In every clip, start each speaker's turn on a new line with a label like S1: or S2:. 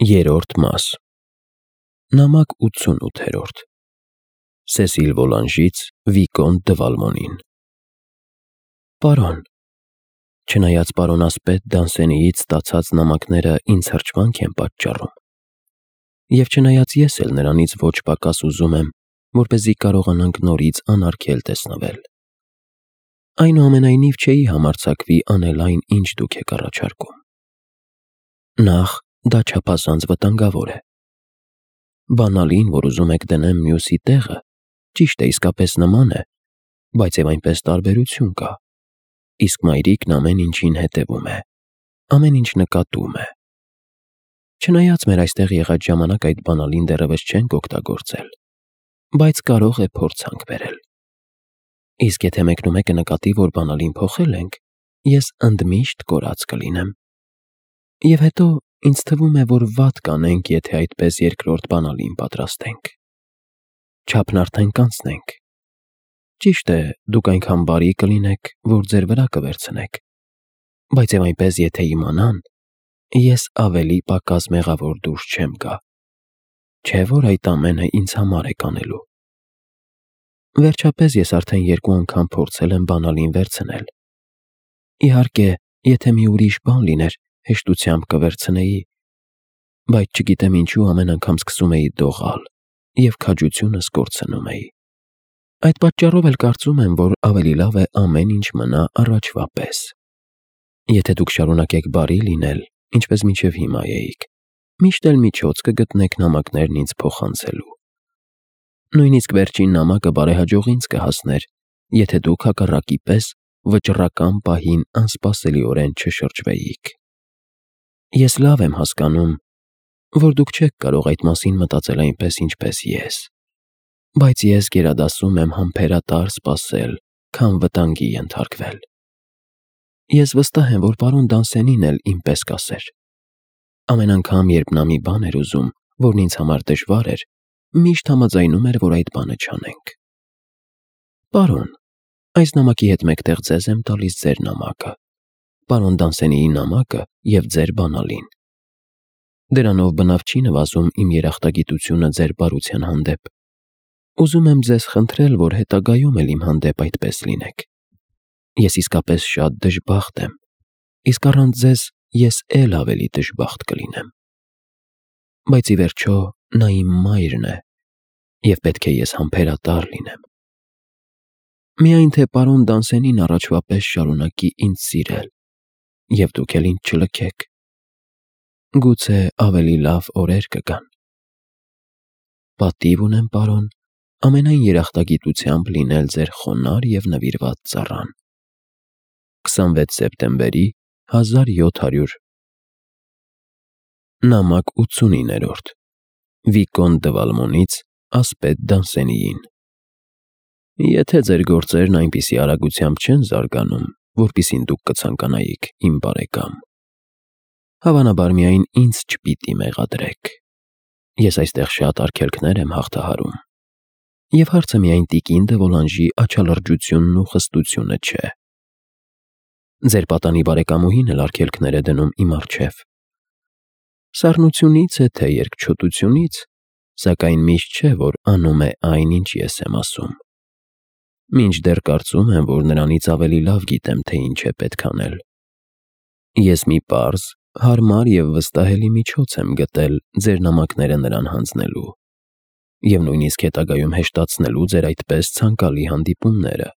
S1: Երրորդ մաս Նամակ 88-րդ Սեսիլ Վոլանժից Վիկոնտ դը Վալմոնին Պարոն, չնայած պարոն ասպետ Դանսենիից ստացած նամակները ինձ հրճվանք են պատճառում, և չնայած ես էլ նրանից ոչ պակաս ուզում եմ, որպեսզի կարողանանք նորից անարգել տեսնվել, այնուամենայնիվ չէի համարձակվի անել այն, ինչ դուք եք առաջարկում։ Նախ, դա չափազանց վտանգավոր է։ Բանալին, որ ուզում եք դնեմ մյուսի տեղը, ճիշտ է, իսկապես նման է, բայց և այնպես տարբերություն կա, իսկ մայրիկն ամեն ինչին հետևում է, ամեն ինչ նկատում է։ Չնայած մեր այստեղ եղած ժամանակ այդ բանալին դեռևս չենք օգտագործել, բայց կարող է փորձանք բերել։ Իսկ եթե մեկնումեկը նկատի, որ բանալին փոխել ենք, ես ընդմիշտ կորած կլինեմ։ Եվ հետո ինձ թվում է, որ վատ կանենք, եթե այդպես երկրորդ բանալին պատրաստենք։ Չափն արդեն կանցնենք։ Ճիշտ է, դուք այնքան բարի կլինեք, որ ձեր վրա կվերցնեք, բայց և այնպես եթե իմանան, ես ավելի պակաս մեղավոր դուրս չեմ գա, չէ՞ որ այդ ամենը ինձ համար եք անելու։ Վերջապես ես արդեն 2 անգամ փորձել եմ բանալին վերցնել։ Իհարկե, եթե մի ուրիշ բան լիներ, հեշտությամբ կվերցնեի, բայց չգիտեմ ինչու ամեն անգամ սկսում էի դողալ և քաջությունս կորցնում էի։ Այդ պատճառով էլ կարծում եմ, որ ավելի լավ է ամեն ինչ մնա առաջվա պես։ Եթե դուք շարունակեք բարի լինել, ինչպես մինչև հիմա էիք, միշտ էլ միջոց կգտնեք նամակներն ինձ փոխանցելու։ Նույնիսկ վերջին նամակը բարեհաջող ինձ կհասներ, եթե դուք հակառակի պես վճռական պահին անսպասելիորեն չշրջվեիք։ Ես լավ եմ հասկանում, որ դուք չեք կարող այդ մասին մտածել այնպես, ինչպես ես, բայց ես գերադասում եմ համբերատար սպասել, քան վտանգի ենթարկվել։ Ես վստահ եմ, որ պարոն Դանսենին էլ իմ պես կասեր։ Ամեն անգամ, երբ նա մի բան էր ուզում, որն ինձ համար դժվար էր, միշտ համաձայնում էր, որ այդ բանը չանենք։ Պարոն, այս նամակի հետ մեկտեղ ձեզ եմ տալիս ձեր նամակը, պարոն Դանսենիի նամակը և ձեր բանալին։ Դրանով բնավ չի նվազում իմ երախտագիտությունը ձեր բարության հանդեպ։ Ուզում եմ ձեզ խնդրել, որ հետագայում էլ իմ հանդեպ այդպես լինեք։ Ես իսկապես շատ դժբախտ եմ, իսկ առանց ձեզ ես էլ ավելի դժբախտ կլինեմ։ Բայց ի վերջո նա իմ մայրն է, և պետք է ես համբերատար լինեմ։ Միայն թե պարոն Դանսենին առաջվա պես շարունակի ինձ սիրել, և դուք էլ ինձ չլքեք։ Գուցե ավելի լավ օրեր կգան։ Պատիվ ունեմ, պարոն, ամենայն երախտագիտությամբ լինել ձեր խոնարհ և նվիրված ծառան։ 26 սեպտեմբերի 1700 Նամակ 89-րդ Վիկոնտ դը Վալմոնից ասպետ Դանսենիին Եթե ձեր գործերն այնպիսի արագությամբ չեն զարգանում, որպիսին դուք կցանկանայիք, իմ բարեկամ, հավանաբար միայն ինձ չպիտի մեղադրեք։ Ես այստեղ շատ արգելքներ եմ հաղթահարում, և հարցը միայն տիկին դը Վոլանժի աչալրջությունն ու խստությունը չէ։ Ձեր պատանի բարեկամուհին էլ արգելքներ է դնում իմ առջև։ Սառնությունից է, թե երկչոտությունից, սակայն միշտ չէ, որ անում է այն, ինչ ես եմ ասում։ Մինչդեռ կարծում եմ, որ նրանից ավելի լավ գիտեմ, թե ինչ է պետք անել։ Ես մի պարզ, հարմար և վստահելի միջոց եմ գտել ձեր նամակները նրան հանձնելու և նույնիսկ հետագայում հեշտացնելու ձեր այդպես ցանկալի հանդիպումները։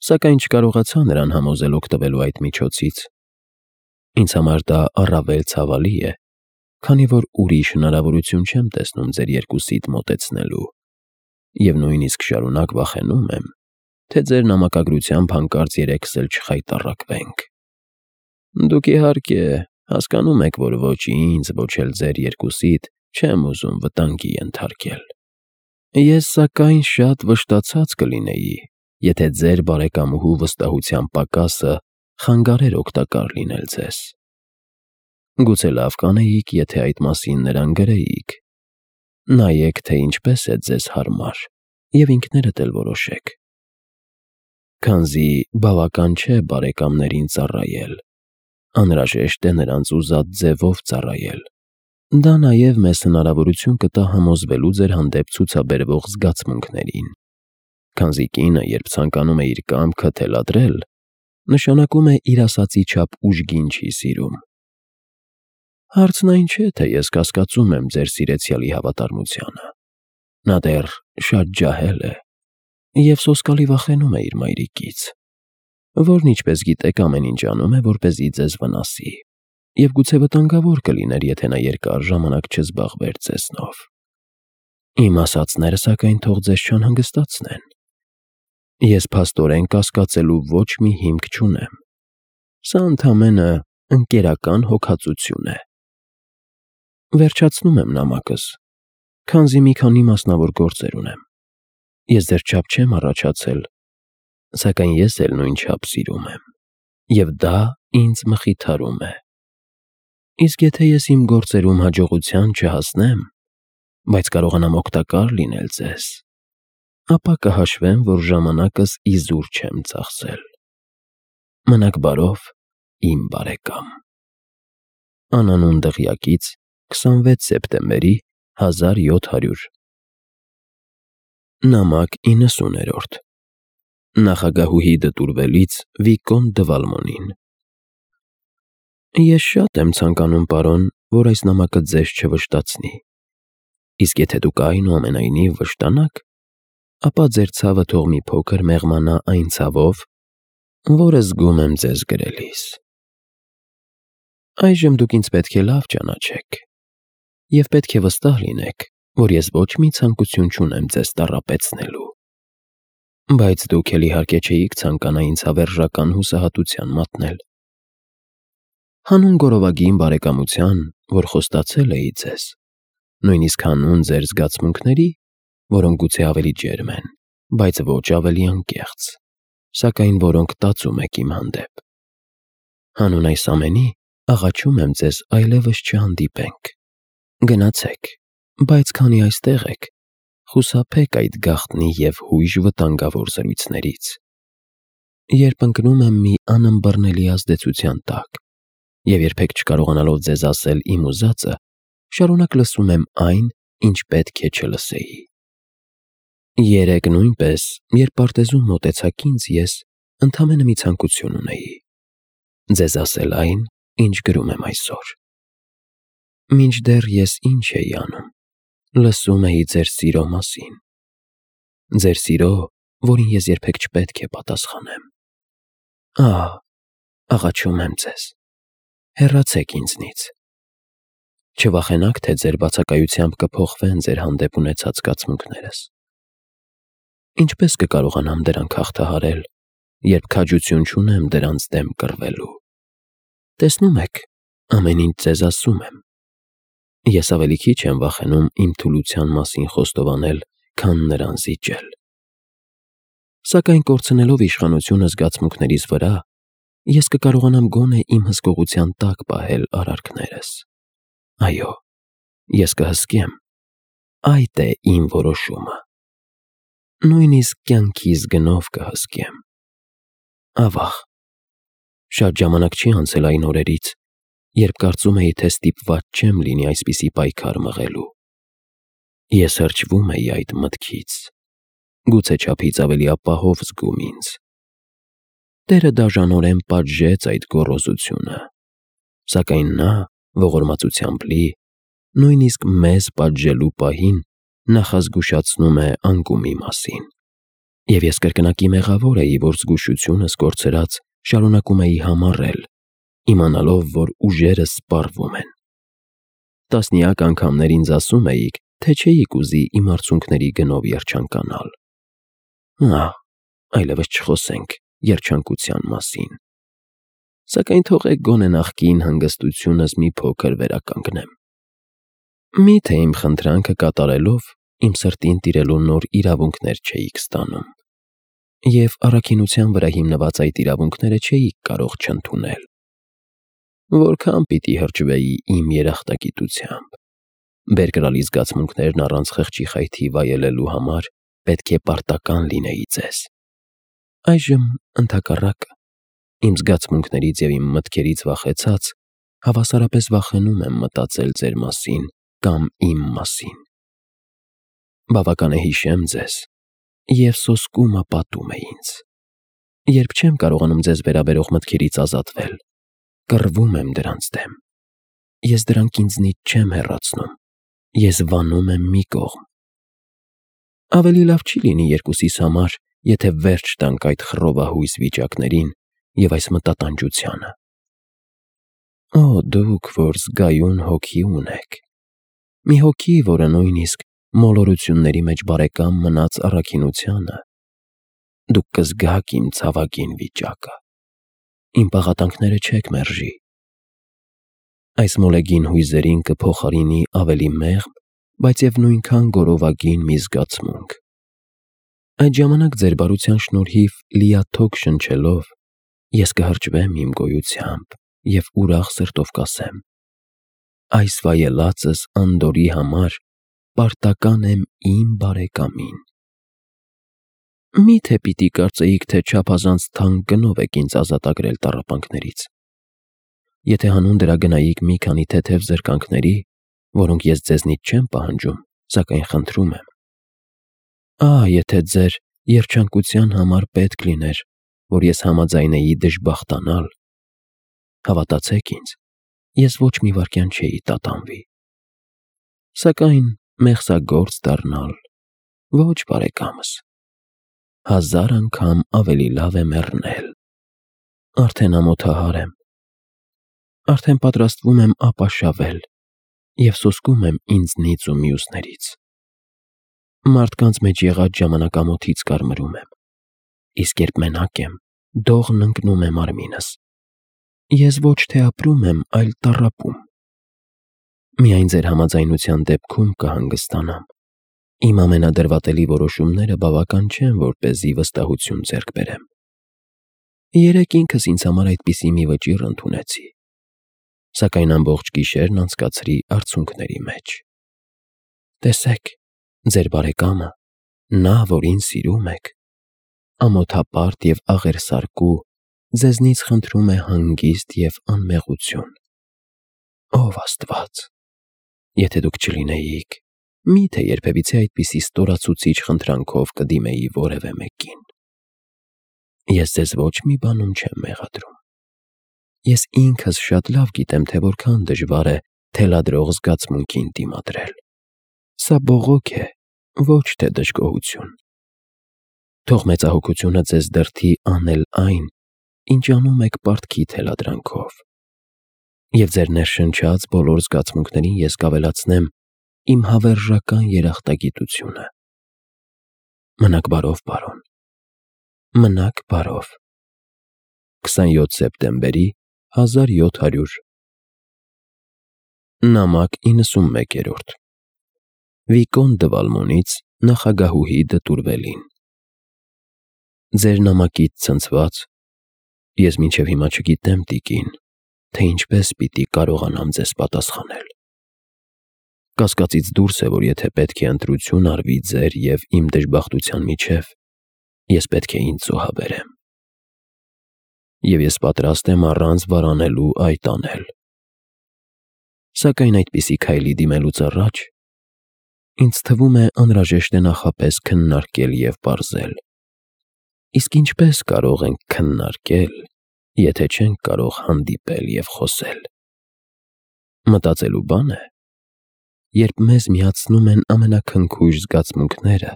S1: Սակայն չկարողացա նրան համոզել օգտվելու այդ միջոցից։ Ինձ համար դա առավել ցավալի է, քանի որ ուրիշ հնարավորություն չեմ տեսնում ձեր երկուսիդ մոտեցնելու, և նույնիսկ շարունակ վախենում եմ, թե ձեր նամակագրությամբ հանկարծ երեքս էլ չխայտառակվենք։ Դուք իհարկե հասկանում եք, որ ոչ ինձ, ոչ էլ ձեր երկուսիդ չեմ ուզում վտանգի ենթարկել։ Ես, սակայն, շատ վշտացած կլինեի, եթե ձեր բարեկամուհու վստահության պակասը խանգարեր օգտակար լինել ձեզ։ Գուցե լավ կանեիք, եթե այդ մասին նրան գրեիք։ Նայեք, թե ինչպես է ձեզ հարմար, և ինքներդ էլ որոշեք։ Քանզի բավական չէ բարեկամներին ծառայել, անհրաժեշտ է նրանց ուզած ձևով ծառայել, Դա նաև մեզ հնարավորություն կտա համոզվելու ձեր հանդեպ ցուցաբերվող զգացմունքներին, քանզի կինը, երբ ցանկանում է իր կամքը թելադրել, նշանակում է իր ասածի չափ ուժգին չի սիրում։ Հարցն այն չէ, թե ես կասկածում եմ ձեր սիրեցյալի հավատարմությանը։ Նա դեռ շատ ջահել է և սոսկալի վախենում է իր մայրիկից, որն, ինչպես գիտեք, ամեն ինչ անում է, որպեսզի ձեզ վնասի, և գուցե վտանգավոր կլիներ, եթե նա երկար ժամանակ չզբաղվեր ձեզնով։ Իմ ասածները, սակայն, թող ձեզ չանհանգստացնեն։ Ես փաստորեն կասկածելու ոչ մի հիմք չունեմ։ Սա ընդամենը ընկերական հոգածություն է։ Վերջացնում եմ նամակս, քանզի մի քանի մասնավոր գործեր ունեմ։ Ես ձեր չափ չեմ առաջացել, սակայն ես էլ նույն չափ սիրում եմ, և դա ինձ մխիթարում է։ Իսկ եթե ես իմ գործերում հաջողության չհասնեմ, բայց կարողանամ օգտակար լինել ձեզ, ապա կհաշվեմ, որ ժամանակս իզուր չեմ ծախսել։ Մնաք բարով, իմ բարեկամ։ Անանուն դղյակից 26 սեպտեմբերի 1700։ Նամակ 90-րդ։ Նախագահուհի դտուրվելից Վիկոն դը Վալմոնին։ Ես շատ եմ ցանկանում, պարոն, որ այս նամակը ձեզ չվշտացնի։ Իսկ եթե դուք այնուամենայնիվ վշտանաք, ապա ձեր ցավը թող մի փոքր մեղմանա այն ցավով, որը զգում եմ ձեզ գրելիս։ Այժմ դուք ինձ պետք է լավ ճանաչեք, և պետք է վստահ լինեք, որ ես ոչ մի ցանկություն չունեմ ձեզ տառապեցնելու։ Բայց դուք էլ իհարկե չէիք ցանկանա ինձ հավերժական հուսահատության մատնել։ Հանուն գորովագին բարեկամության, որ խոստացել էի ձեզ, նույնիսկ հանուն ձեր զգացմունքների, որոնք գուցե ավելի ջերմ են, բայց ոչ ավելի անկեղծ, սակայն որոնք տածում եք իմ հանդեպ։ Հանուն այս ամենի աղաչում եմ ձեզ այլևս չհանդիպենք։ Գնացեք, բայց քանի այստեղ եք, խուսափեք այդ գաղտնի և հույժ վտանգավոր զրույցներից։ Երբ ընկնում եմ մի անըմբռնելի ազդեցության տակ, և երբեք չկարողանալով ձեզ ասել իմ ուզածը, շարունակ լսում եմ այն, ինչ պետք է չլսեի։ Երեկ նույնպես, երբ պարտեզում մոտեցաք ինձ, ես ընդամենը մի ցանկություն ունեի՝ ձեզ ասել այն, ինչ գրում եմ այսօր։ Մինչդեռ ես ինչ էի անում, լսում էի ձեր սիրո մասին։ Ձեր սիրո, որին ես երբեք չպետք է պատասխանեմ։ Աղաչում եմ ձեզ, հեռացեք ինձնից։ Չվախենաք, թե ձեր բացակայությամբ կփոխվեն ձեր հանդեպ ունեցած զգացմունքներս։ Ինչպես կկարողանամ դրանք հաղթահարել, երբ քաջություն չունեմ դրանց դեմ կռվելու։ Տեսնում եք, ամեն ինչ ձեզ ասում եմ։ Ես ավելի քիչ եմ վախենում իմ թուլության մասին խոստովանել, քան նրան զիջել։ Սակայն կորցնելով իշխանությունը զգացմունքներիս վրա, ես կկարողանամ գոնե իմ հսկողության տակ պահել արարքներս։ Այո, ես կհսկեմ։ Այդ է իմ որոշումը։ Նույնիսկ կյանքիս գնով կհսկեմ։ Ավաղ, շատ ժամանակ չի անցել այն օրերից, երբ կարծում էի, թե ստիպված չեմ լինի այսպիսի պայքար մղելու։ Ես հրճվում էի այդ մտքից, գուցե չափից ավելի ապահով զգում ինձ։ Տերը դաժանորեն պատժեց այդ գոռոզությունը, սակայն նա, ողորմածությամբ լի, նույնիսկ մեզ պատժելու պահին նախազգուշացնում է անկումի մասին։ Եվ ես կրկնակի մեղավոր էի, որ զգուշությունս կորցրած շարունակում էի համառել, իմանալով, որ ուժերս սպառվում են։ Տասնյակ անգամներ ինձ ասում էիք, թե չէիք ուզի իմ արցունքների գնով երջանկանալ։ Այլևս չխոսենք երջանկության մասին։ Սակայն թողեք գոնե նախկին հանգստությունս մի փոքր վերականգնեմ։ Միթե իմ խնդրանքը կատարելով իմ սրտին տիրելու նոր իրավունքներ չէիք ստանում, և առաքինության վրա հիմնված այդ իրավունքները չէիք կարող չընդունել։ Որքան պիտի հրճվեի իմ երախտագիտությամբ։ Բերկրալի զգացմունքներն առանց խղճի խայթի վայելելու համար պետք է պարտական լինեի ձեզ։ Այժմ, ընդհակառակը, իմ զգացմունքներից և իմ մտքերից վախեցած, Հավասարապես վախենում եմ մտածել ձեր մասին կամ իմ մասին։ Բավական է հիշեմ ձեզ, և սոսկումը պատում է ինձ։ Երբ չեմ կարողանում ձեզ վերաբերող մտքերից ազատվել, կռվում եմ դրանց դեմ։ Ես դրանք ինձնից չեմ հեռացնում, ես վանում եմ մի կողմ։ Ավելի լավ չի լինի երկուսիս համար, եթե վերջ տանք այդ խռովահույս վիճակներին և այս մտատանջությանը։ Օ, դուք, որ զգայուն հոգի ունեք, մի հոգի, որը նույնիսկ մոլորությունների մեջ բարեկամ մնաց առաքինությանը, դուք կզգաք իմ ցավագին վիճակը, իմ պաղատանքները չեք մերժի։ Այս մոլեգին հույզերին կփոխարինի ավելի մեղմ, բայց և նույնքան գորովագին մի զգացմունք։ Այդ ժամանակ ձեր բարության շնորհիվ լիաթոք շնչելով, ես կհրճվեմ իմ գոյությամբ և ուրախ սրտով կասեմ. այս վայելածս Անդորի համար պարտական եմ իմ բարեկամին։ Մի՞թե պիտի կարծեիք, թե չափազանց թանկ գնով եք ինձ ազատագրել տառապանքներից։ Եթե հանուն դրա գնայիք մի քանի թեթև զրկանքների, որոնք ես ձեզնից չեմ պահանջում, սակայն խնդրում եմ։ Եթե ձեր երջանկության համար պետք լիներ, որ ես համաձայնեի դժբախտանալ, հավատացեք ինձ, ես ոչ մի վայրկյան չէի տատանվի։ Սակայն մեղսագործ դառնալ, ոչ բարեկամս, 1000 անգամ ավելի լավ է մեռնել։ Արդեն ամոթահար եմ, արդեն պատրաստվում եմ ապաշավել և սոսկում եմ ինձնից ու մյուսներից։ Մարդկանց մեջ եղած ժամանակամոթից կարմրում եմ, իսկ երբ մենակ եմ, դողն ընկնում է մարմինս։ Ես ոչ թե ապրում եմ, այլ տառապում։ Միայն ձեր համաձայնության դեպքում կհանգստանամ։ Իմ ամենադրվատելի որոշումները բավական չեն, որպեսզի վստահություն ձեռք բերեմ։ Երեկ ինքս ինձ համար այդպիսի մի վճիռ ընդունեցի, սակայն ամբողջ գիշերն անցկացրի արցունքների մեջ։ Տեսեք, ձեր բարեկամը, նա, որ ինձ սիրում եք, ամոթապարտ և աղերսարկու, ձեզնից խնդրում է հանգիստ և անմեղություն։ Ով Աստված, եթե դուք չլինեիք, մի՞թե երբևիցե այդպիսի ստորացուցիչ խնդրանքով կդիմեի որևէ մեկին։ Ես ձեզ ոչ մի բանում չեմ մեղադրում։ Ես ինքս շատ լավ գիտեմ, թե որքան դժվար է թելադրող զգացմունքին դիմադրել։ Սա բողոք է, ոչ թե դժգոհություն։ Թող մեծահոգությունը ձեզ դրդի անել այն, ինչ անում եք պարտքի թելադրանքով, և ձեր ներշնչած բոլոր զգացմունքներին ես կավելացնեմ իմ հավերժական երախտագիտությունը։ Մնաք բարով, պարոն, մնաք բարով։ 27 սեպտեմբերի 1700 Նամակ 91-րդ Վիկոն դը Վալմոնից նախագահուհի դտուրվելին։ Ձեր նամակից ցնցված, ես մինչև հիմա չգիտեմ, տիկին, թե ինչպես պիտի կարողանամ ձեզ պատասխանել։ Կասկածից դուրս է, որ եթե պետք է ընտրություն արվի ձեր և իմ դժբախտության միջև, ես պետք է ինձ զոհաբերեմ։ Եվ ես պատրաստ եմ առանց վարանելու այդ անել։ Սակայն այդպիսի քայլի դիմելուց առաջ ինձ թվում է անհրաժեշտ է նախապես քննարկել և պարզել։ Իսկ ինչպես կարող ենք քննարկել, եթե չենք կարող հանդիպել և խոսել։ Մտածելու բան է, երբ մեզ միացնում են ամենաքնքուշ զգացմունքները,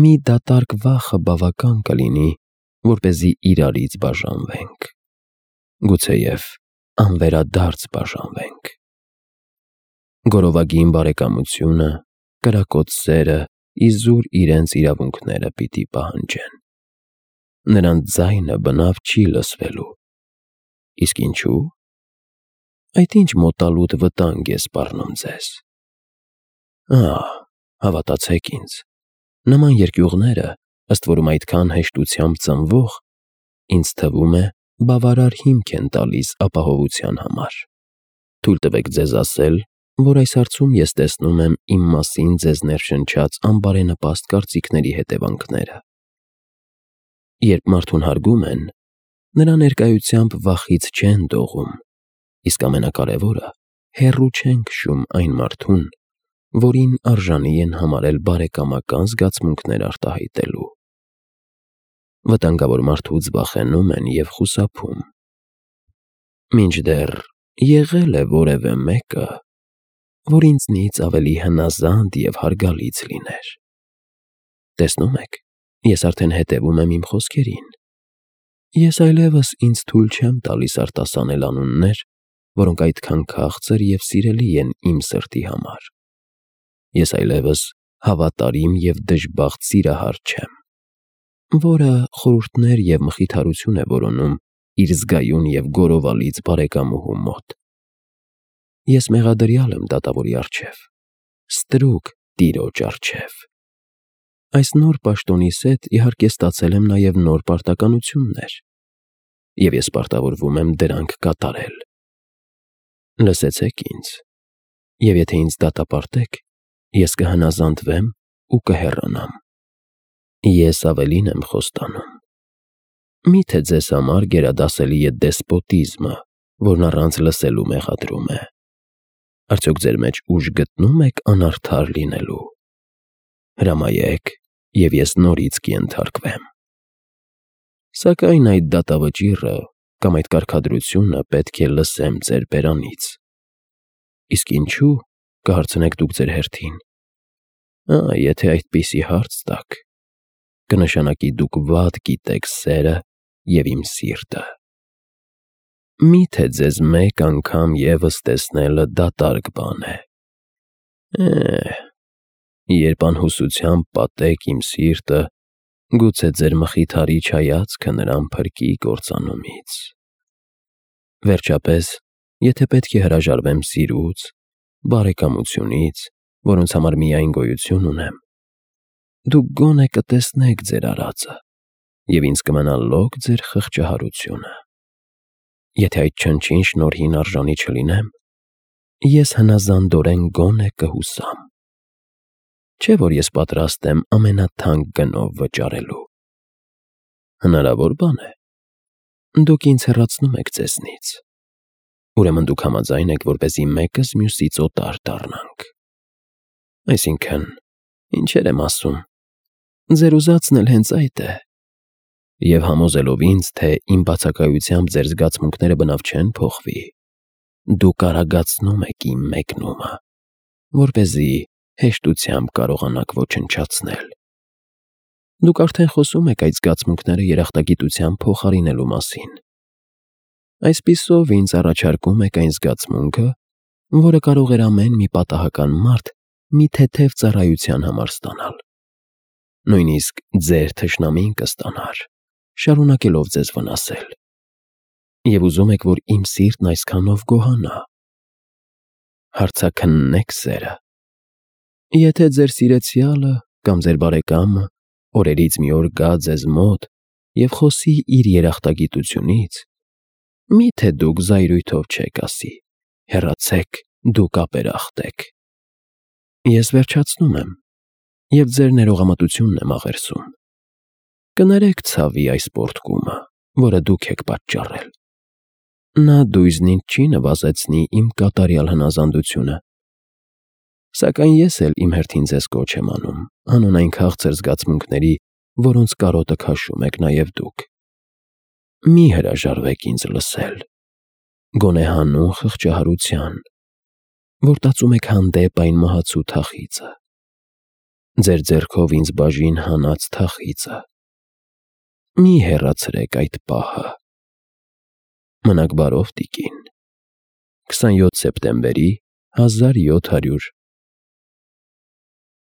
S1: մի դատարկ վախը բավական կլինի, որպեսզի իրարից բաժանվենք, գուցեև անվերադարձ բաժանվենք։ Գորովագին բարեկամությունը, կրակոտ սերը իզուր իրենց իրավունքները պիտի պահանջեն։ Նրանց ձայնը բնավ չի լսվելու։ Իսկ ինչու՞։ Այդ ինչ մոտալուտ վտանգ է սպառնում ձեզ։ Հավատացեք ինձ, նման երկյուղները, ըստ որում այդքան հեշտությամբ ծնվող, ինձ թվում է բավարար հիմք են տալիս ապահովության համար։ Թույլ տվեք ձեզ ասել, որ այս հարցում ես տեսնում եմ իմ մասին ձեզ ներշնչած անբարենպաստ կարծիքների հետևանքները։ Երբ մարդուն հարգում են, նրա ներկայությամբ վախից չեն դողում, իսկ ամենակարևորը, հեռու չեն քշում այն մարդուն, որին արժանի են համարել բարեկամական զգացմունքներ արտահայտելու։ Վտանգավոր մարդուց վախենում են և խուսափում։ Մինչդեռ եղել է որևէ մեկը, որ ինձնից ավելի հնազանդ և հարգալից լիներ։ Տեսնում եք, ես արդեն հետևում եմ իմ խոսքերին։ Ես այլևս ինձ թույլ չեմ տալիս արտասանել անուններ, որոնք այդքան քաղցր և սիրելի են իմ սրտի համար։ Ես այլևս հավատարիմ և դժբախտ սիրահար չեմ, որը խորհուրդներ և մխիթարություն է որոնում իր զգայուն և գորովալից բարեկամուհու մոտ։ Ես մեղադրյալ եմ դատավորի առջև, ստրուկ Տիրոջ առջև։ Այս նոր պաշտոնիս հետ իհարկե ստացել եմ նաև նոր պարտականություններ, և ես պարտավորվում եմ դրանք կատարել։ Լսեցեք ինձ, և եթե ինձ դատապարտեք, ես կհնազանդվեմ ու կհեռանամ։ Ես ավելին եմ խոստանում։ Մի՞թե ձեզ համար գերադասելի է դեսպոտիզմը, որն առանց լսելու մեղադրում է։ Արդյոք ձեր մեջ ուժ գտնում եք անարդար լինելու։ Հրամայեք, և ես նորից կենթարկվեմ։ Սակայն այդ դատավճիռը կամ այդ կարգադրությունը պետք է լսեմ ձեր բերանից։ Իսկ ինչու՞, կհարցնեք դուք ձեր հերթին։ Եթե այդպիսի հարց տաք, կնշանակի դուք վատ գիտեք սերը և իմ սիրտը։ Մի՞թե ձեզ մեկ անգամ ևս տեսնելը դատարկ բան է։ Երբ անհուսությամբ պատեք իմ սիրտը, գուցե ձեր մխիթարիչ հայացքը նրան փրկի կործանումից։ Վերջապես, եթե պետք է հրաժարվեմ սիրուց, բարեկամությունից, որոնց համար միայն գոյություն ունեմ, դուք գոնե կտեսնեք ձեր արածը, և ինձ կմնա լոկ ձեր խղճահարությունը։ Եթե այդ չնչին շնորհին արժանի չլինեմ, ես հնազանդորեն գոնե կհուսամ։ Չէ՞ որ ես պատրաստ եմ ամենաթանկ գնով վճարելու։ Հնարավոր բան է։ Դուք ինձ հեռացնում եք ձեզնից։ Ուրեմն դուք համաձայն եք, որպեսզի մեկս մյուսից օտար դառնանք։ Այսինքն, ինչեր եմ ասում, ձեր ուզածն էլ հենց այդ է։ Եվ համոզելով ինձ, թե իմ բացակայությամբ ձեր զգացմունքները բնավ չեն փոխվի, դուք արագացնում եք իմ մեկնումը, որպեսզի հեշտությամբ կարողանաք ոչնչացնել։ Դուք արդեն խոսում եք այդ զգացմունքները երախտագիտությամբ փոխարինելու մասին։ Այսպիսով ինձ առաջարկում եք այն զգացմունքը, որը կարող էր ամեն մի պատահական մարդ մի թեթև ծառայության համար ստանալ։ Նույնիսկ ձեր թշնամին կստանար, շարունակելով ձեզ վնասել։ Եվ ուզում եք, որ իմ սիրտն այսքանով գոհանա։ Հարցաքննեք սերը։ Եթե ձեր սիրեցյալը կամ ձեր բարեկամը օրերից մի օր գա ձեզ մոտ և խոսի իր երախտագիտությունից, մի՞թե դուք զայրույթով չեք ասի. «Հեռացեք, դուք ապերախտ եք»։ Ես վերջացնում եմ և ձեր ներողամտությունն եմ աղերսում։ Կներեք ցավի այս պոռթկումը, որը դուք եք պատճառել։ Նա դույզնից չի նվազեցնի իմ կատարյալ հնազանդությունը։ Սակայն ես էլ իմ հերթին ձեզ կոչ եմ անում հանուն այն քաղցր զգացմունքների, որոնց կարոտը քաշում եք նաև դուք։ Մի հրաժարվեք ինձ լսել, գոնե հանուն խղճահարության, որ տածում եք հանդեպ այն մահացու թախիծը, ձեր ձեռքով ինձ բաժին հանած թախիծը։ Մի հեռացրեք այդ պահը։ Մնաք բարով, տիկին։ 27 սեպտեմբերի 1700